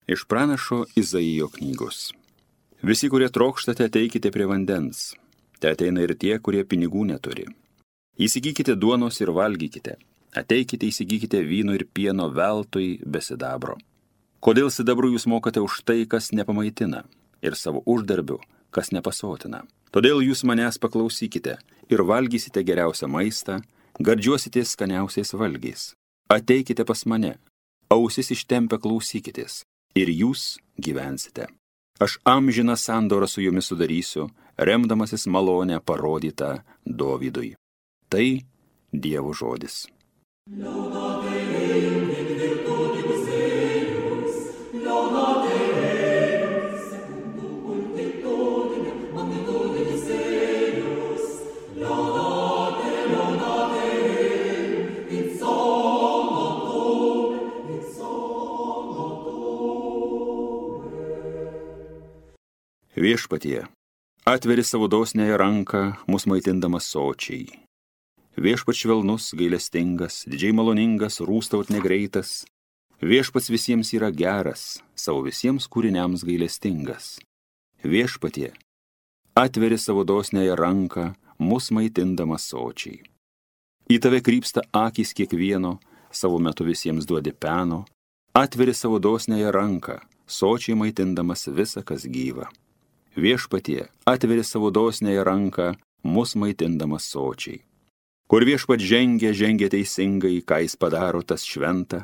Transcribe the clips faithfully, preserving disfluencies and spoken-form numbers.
Iš pranašo Izaijo knygos. Visi, kurie trokštate, ateikite prie vandens. Te ateina ir tie, kurie pinigų neturi. Įsigykite duonos ir valgykite. Ateikite, įsigykite vyno ir pieno veltui be sidabro. Kodėl sidabru jūs mokate už tai, kas nepamaitina, ir savo uždarbiu, kas nepasotina? Todėl jūs manęs paklausykite ir valgysite geriausią maistą, gardžiuositės skaniausiais valgiais. Ateikite pas mane, ausis ištempę klausykitės, ir jūs gyvensite. Aš amžiną sandorą su jumis sudarysiu, remdamasis malonę parodytą Dovydui. Tai Dievo žodis. Viešpatie, atveri savo dosniąją ranką, mus maitindamas sočiai. Viešpats švelnus, gailestingas, didžiai maloningas, rūstaut negreitas. Viešpats visiems yra geras, savo visiems kūriniams gailestingas. Viešpatie, atveri savo dosniąją ranką, mus maitindamas sočiai. Į tave krypsta akys kiekvieno, savo metu visiems duodi peno. Atveri savo dosniąją ranką, sočiai maitindamas visa, kas gyva. Viešpatie, atveri savo dosniąją ranką, mus maitindamas sočiai. Kur viešpat žengia, žengia teisingai, ką jis padaro, tas šventa.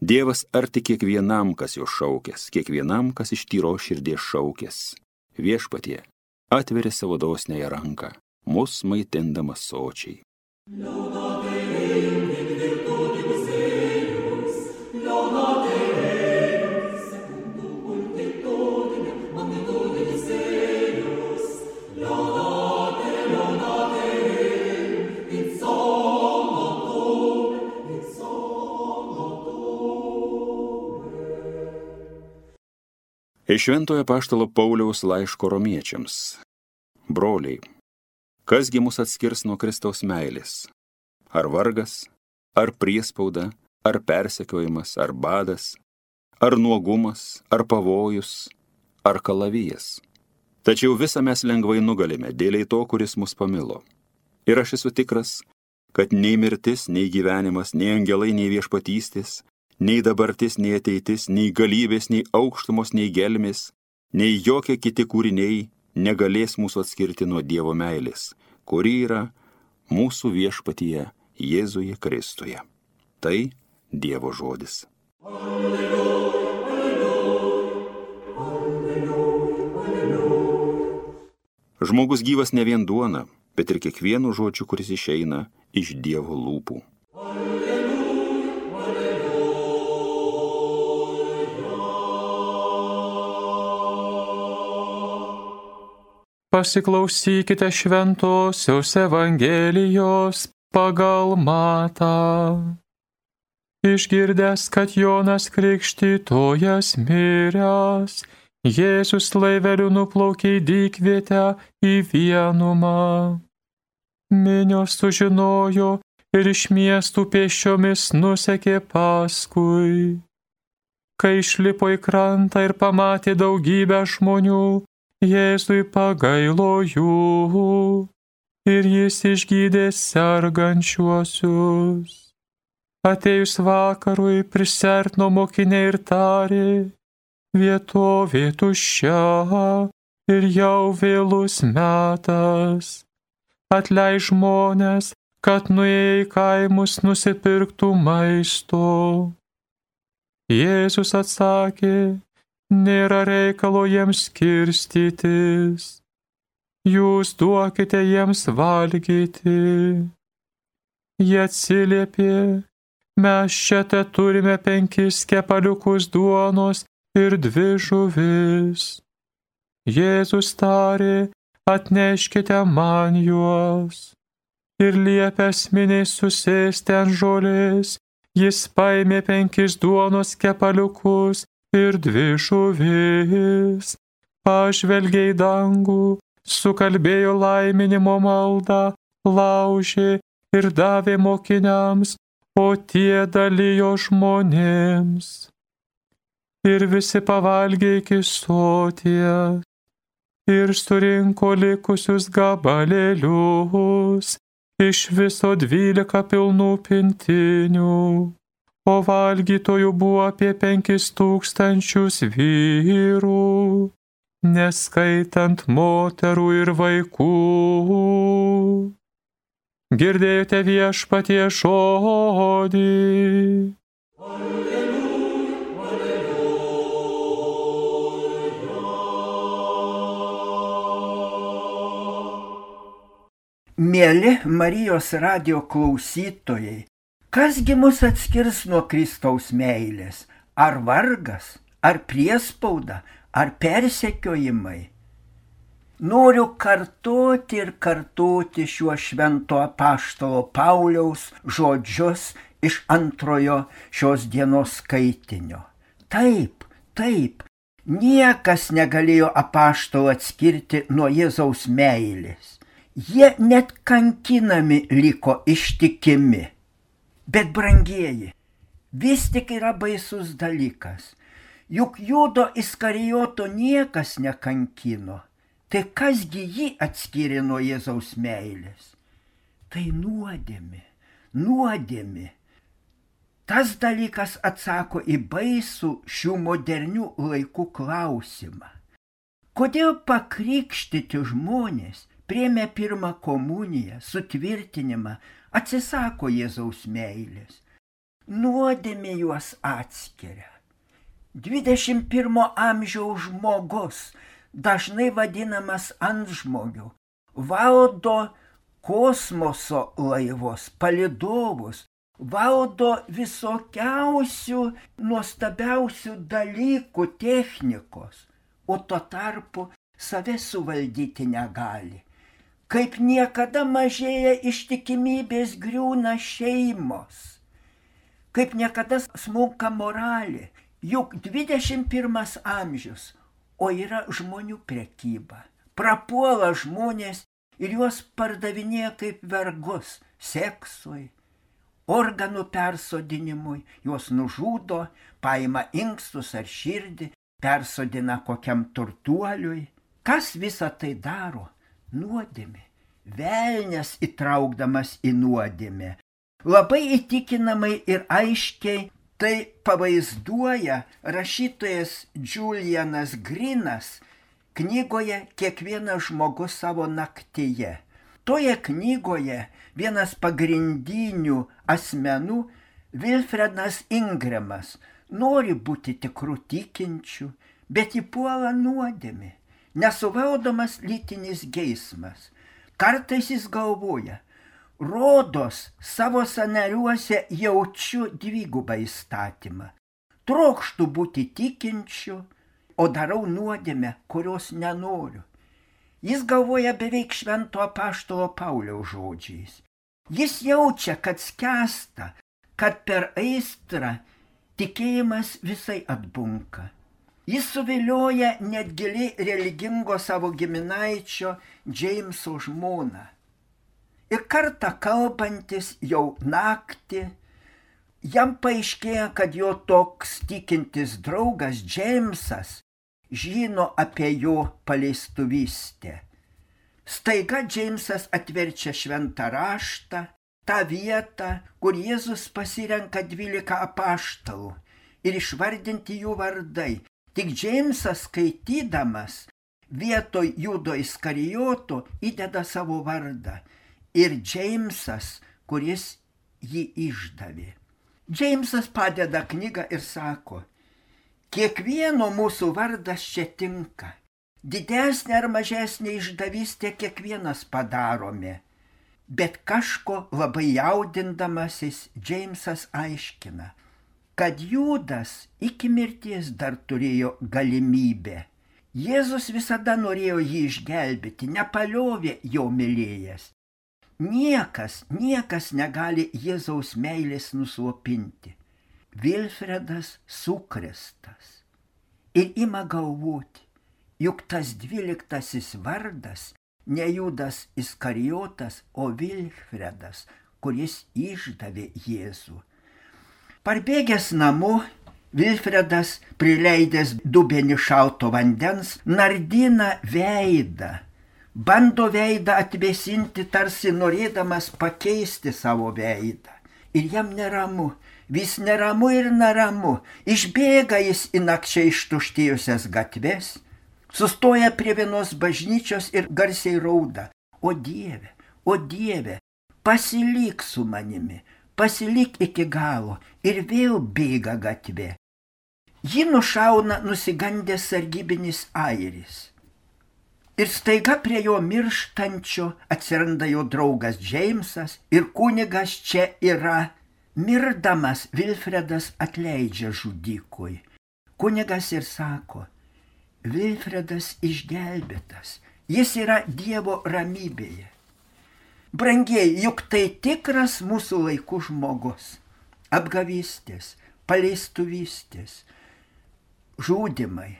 Dievas arti kiekvienam, kas jo šaukės, kiekvienam, kas iš tyros širdies šaukės. Viešpatie, atveri savo dosniąją ranką, mus maitindamas sočiai. Iš Šventojo apaštalo Pauliaus laiško romiečiams. Broliai, kasgi mus atskirs nuo Kristaus meilės? Ar vargas, ar priespauda, ar persekiojimas, ar badas, ar nuogumas, ar pavojus, ar kalavijas? Tačiau visą mes lengvai nugalime dėliai to, kuris mus pamilo. Ir aš esu tikras, kad nei mirtis, nei gyvenimas, nei angelai, nei viešpatystės, nei dabartis, nei ateitis, nei galybės, nei aukštumos, nei gelmės, nei jokie kiti kūriniai negalės mūsų atskirti nuo Dievo meilės, kuri yra mūsų viešpatyje Jėzuje Kristuje. Tai Dievo žodis. Alleluja, alleluja, alleluja, alleluja. Žmogus gyvas ne vien duona, bet ir kiekvienu žodžiu, kuris išeina iš Dievo lūpų. Pasiklausykite šventosios Evangelijos pagal Matą. Išgirdęs, kad Jonas Krikštytojas miręs, Jėzus laiveliu nuplaukė į dykvietę į vienumą. Minios sužinojo ir iš miestų pėsčiomis nusekė paskui. Kai išlipo į krantą ir pamatė daugybę žmonių, Jėzui pagailo jų ir jis išgydė sergančiuosius. Atėjus vakarui prisiartino mokiniai ir tarė, vietovė tuščia ir jau vėlus metas. Atleidž žmones, kad nuėję į kaimus nusipirktų maisto. Jėzus atsakė, nėra reikalo jiems skirstytis. Jūs duokite jiems valgyti. Jie atsiliepė, mes čia te turime penkis kepaliukus duonos ir dvi žuvis. Jėzus tarė, atneškite man juos. Ir liepęs miniai susėsti ant žolės, jis paėmė penkis duonos kepaliukus ir dvi žuvis, pažvelgė į dangų, sukalbėjo laiminimo maldą, laužė ir davė mokiniams, o tie dalijo žmonėms. ir visi pavalgė iki soties, ir surinko likusius gabalėlius, iš viso dvylika pilnų pintinių, o valgytojų buvo apie penkis tūkstančius vyrų, neskaitant moterų ir vaikų. Girdėjote viešpatie žodį. Mieli Marijos radijo klausytojai, kasgi mus atskirs nuo Kristaus meilės? Ar vargas, ar priespauda, ar persekiojimai? Noriu kartoti ir kartoti šiuo švento apaštalo Pauliaus žodžius iš antrojo šios dienos skaitinio. Taip, taip, niekas negalėjo apaštalo atskirti nuo Jėzaus meilės. Jie net kankinami liko ištikimi. Bet brangieji, vis tik yra baisus dalykas. Juk Judo Iskarijoto niekas nekankino. Tai kasgi jį atskyrė nuo Jėzaus meilės? Tai nuodėmė, nuodėmė. Tas dalykas atsako į baisų šių modernių laikų klausimą. Kodėl pakrikštyti žmonės priėmė pirmą komuniją, sutvirtinimą, atsisako Jėzaus meilės? Nuodėmė juos atskiria. dvidešimt pirmo amžiaus žmogus, dažnai vadinamas antžmogiu, valdo kosmoso laivus, palydovus, valdo visokiausių nuostabiausių dalykų technikos, o tuo tarpu save suvaldyti negali. Kaip niekada mažėja ištikimybės, griūna šeimos, kaip niekada smunka moralė, juk dvidešimt pirmas amžius, o yra žmonių prekyba. Prapuola žmonės ir juos pardavinėja kaip vergus seksui, organų persodinimui, juos nužudo, paima inkstus ar širdį, persodina kokiam turtuoliui. Kas visą tai daro? Nuodėmė. Velnias įtraukdamas į nuodėmę. Labai įtikinamai ir aiškiai tai pavaizduoja rašytojas Julianas Grinas knygoje Kiekvienas žmogus savo naktyje. Toje knygoje vienas pagrindinių asmenų, Wilfredas Ingremas, nori būti tikrų tikinčių, bet įpuola nuodėmė, nesuvaldomas lytinis geismas. Kartais jis galvoja, rodos savo sąnariuose jaučiu dvigubą įstatymą. Trokštu būti tikinčiu, o darau nuodėmę, kurios nenoriu. Jis galvoja beveik švento apaštalo Pauliaus žodžiais. Jis jaučia, kad skęsta, kad per aistrą tikėjimas visai atbunka. Jis suvilioja net giliai religingo savo giminaičio Džeimso žmoną. Ir kartą kalbantis jau naktį, jam paaiškėja, kad jo toks tikintis draugas Džeimsas žino apie jo paleistuvystę. Staiga Džeimsas atverčia šventą raštą, tą vietą, kur Jėzus pasirenka dvylika apaštalų ir išvardinti jų vardai. Tik Džeimsas skaitydamas vietoj Judo Iskarijoto įdeda savo vardą. Ir Džeimsas, kuris jį išdavė. Džeimsas padeda knygą ir sako, kiekvieno mūsų vardas čia tinka. Didesnė ar mažesnė išdavystė kiekvienas padarome. Bet kažko labai jaudindamasis Džeimsas aiškina, kad Judas iki mirties dar turėjo galimybę. Jėzus visada norėjo jį išgelbėti, nepaliovė jo mylėjęs. Niekas, niekas negali Jėzaus meilės nuslopinti. Vilfredas sukrėstas ir ima galvoti, juk tas dvyliktasis vardas ne Judas Iskarijotas, o Vilfredas, kuris išdavė Jėzų. Parbėgęs namo, Vilfredas, prileidęs dubenį šalto vandens, nardina veidą, bando veidą atvėsinti, tarsi norėdamas pakeisti savo veidą. Ir jam neramu, vis neramu ir neramu, išbėga jis į nakčiai ištuštėjusias gatves, sustoja prie vienos bažnyčios ir garsiai rauda: o Dieve, o Dieve, pasilik su manimi, pasilik iki galo, ir vėl bėga gatvė. Jį nušauna nusigandęs sargybinis airis. Ir staiga prie jo mirštančio atsiranda jo draugas Džeimsas ir kunigas čia yra. Mirdamas Vilfredas atleidžia žudikui. Kunigas ir sako: Vilfredas išgelbėtas, jis yra Dievo ramybėje. Brangieji, juk tai tikras mūsų laikų žmogus. Apgavystės, paleistuvystės, žudimai.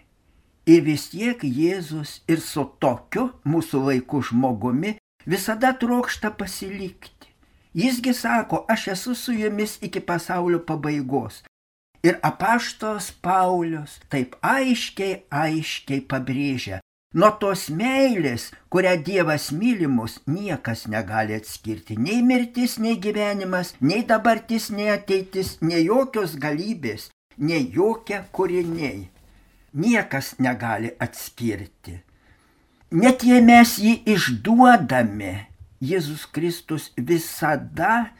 Ir vis tiek Jėzus ir su tokiu mūsų laikų žmogumi visada trokšta pasilikti. Jisgi sako: aš esu su jumis iki pasaulio pabaigos. Ir apaštalas Paulius taip aiškiai, aiškiai pabrėžia: nuo tos meilės, kurią Dievas myli mus, niekas negali atskirti. Nei mirtis, nei gyvenimas, nei dabartis, nei ateitis, nei jokios galybės, nei jokie kūriniai. Niekas negali atskirti. Net jei mes jį išduodame, Jėzus Kristus visada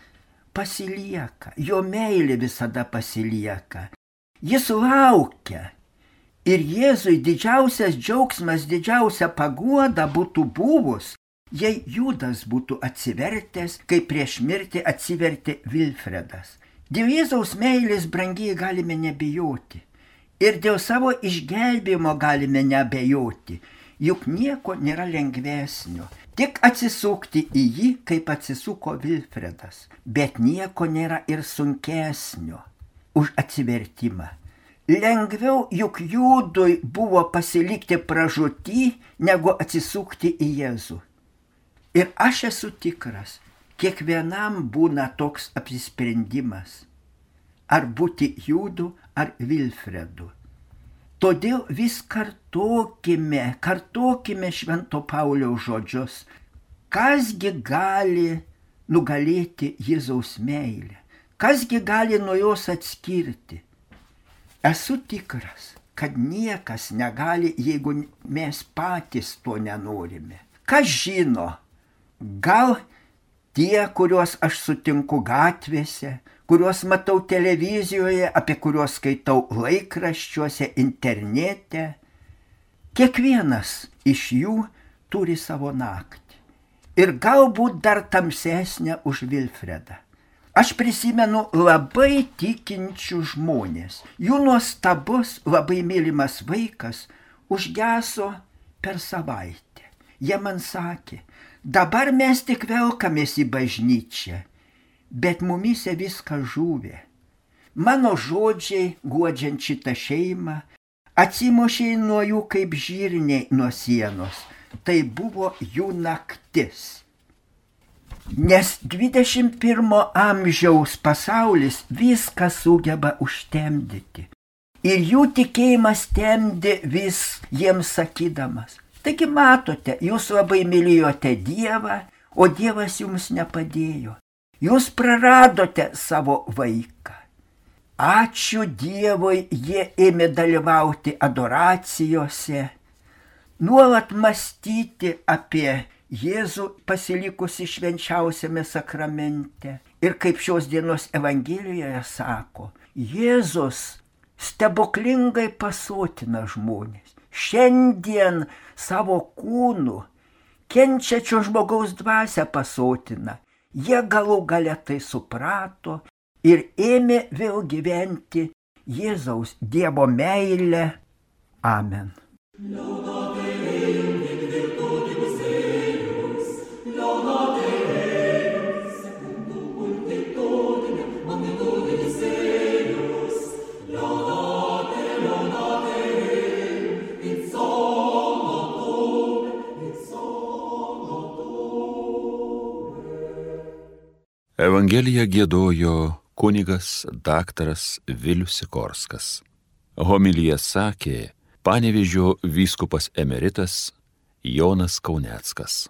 pasilieka, jo meilė visada pasilieka. Jis laukia. Ir Jėzui didžiausias džiaugsmas, didžiausia paguoda būtų buvus, jei Judas būtų atsivertęs, kaip prieš mirtį atsivertė Vilfredas. Dėl Jėzaus meilės, brangiai, galime nebijoti. Ir dėl savo išgelbėjimo galime neabejoti, juk nieko nėra lengvesnio. Tik atsisukti į jį, kaip atsisuko Vilfredas. Bet nieko nėra ir sunkesnio už atsivertimą. Lengviau juk Judui buvo pasilikti pražūtį, negu atsisukti į Jėzų. Ir aš esu tikras, kiekvienam būna toks apsisprendimas. Ar būti Judu, ar Vilfredu. Todėl vis kartokime, kartokime Švento Pauliaus žodžius. Kasgi gali nugalėti Jėzaus meilę? Kasgi gali nuo jos atskirti? Esu tikras, kad niekas negali, jeigu mes patys to nenorime. Kas žino, gal tie, kuriuos aš sutinku gatvėse, kuriuos matau televizijoje, apie kuriuos skaitau laikraščiuose, internete, kiekvienas iš jų turi savo naktį. Ir galbūt dar tamsesnę už Vilfredą. Aš prisimenu labai tikinčių žmonės. Jų nuostabus, labai mylimas vaikas užgeso per savaitę. Jie man sakė: dabar mes tik velkamės į bažnyčią, bet mumise viską žuvė. Mano žodžiai, guodžiant šitą šeimą, atsimušė nuo jų kaip žirniai nuo sienos. Tai buvo jų naktis. Nes dvidešimt pirmo amžiaus pasaulis viską sugeba užtemdyti. Ir jų tikėjimas temdė vis jiems sakydamas: taigi matote, jūs labai mylėjote Dievą, o Dievas jums nepadėjo. Jūs praradote savo vaiką. Ačiū Dievui, jie ėmė dalyvauti adoracijose, nuolat mąstyti apie Jėzų pasilikusi švenčiausiame sakramente. Ir kaip šios dienos Evangelijoje sako, Jėzus stebuklingai pasotina žmonės. Šiandien savo kūnu kenčiačio žmogaus dvasią pasotina. Jie galų gale tai suprato ir ėmė vėl gyventi Jėzaus Dievo meilę. Amen. Evangeliją giedojo kunigas daktaras Vilius Sikorskas. Homiliją sakė Panevėžio vyskupas emeritas Jonas Kauneckas.